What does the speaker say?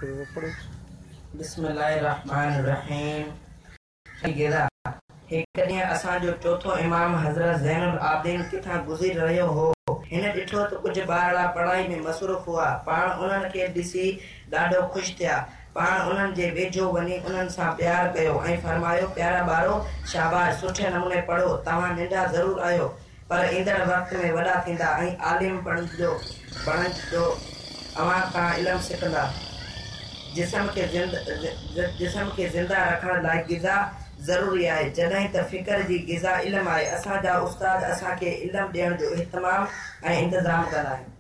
پڙهو. بسم الله الرحمٰن الرحيم غذا، هڪ ڏينهن اسان جو چوٿون امام حضرت زين العابدين ڪٿان گذري رهيو هو. هن ڏٺو ته ڪجهه ٻارڙا پڙهائي ۾ مصروف هئا. پاڻ انهن کي ڏسي ڏاڍو خوش ٿيا. پاڻ انهن جي ويجهو وڃي انهن سان پيار ڪيو ۽ فرمايو، پيارا ٻارو! شاباش! سٺي نموني پڙهو. توهان ننڍا ضرور آهيو، پر ايندڙ وقت ۾ وڏا ٿيندا ۽ عالم بڻجو اوهان کان علم سکندا. جسم کي جسم کي زنده رکڻ لاء غذا ضروري آهي، جڏهن ته فڪر جي غذا علم آهي. اسان جا استاد اسان کي علم ڏيڻ جو اهتمام ۽ انتظام ڪندا آهن.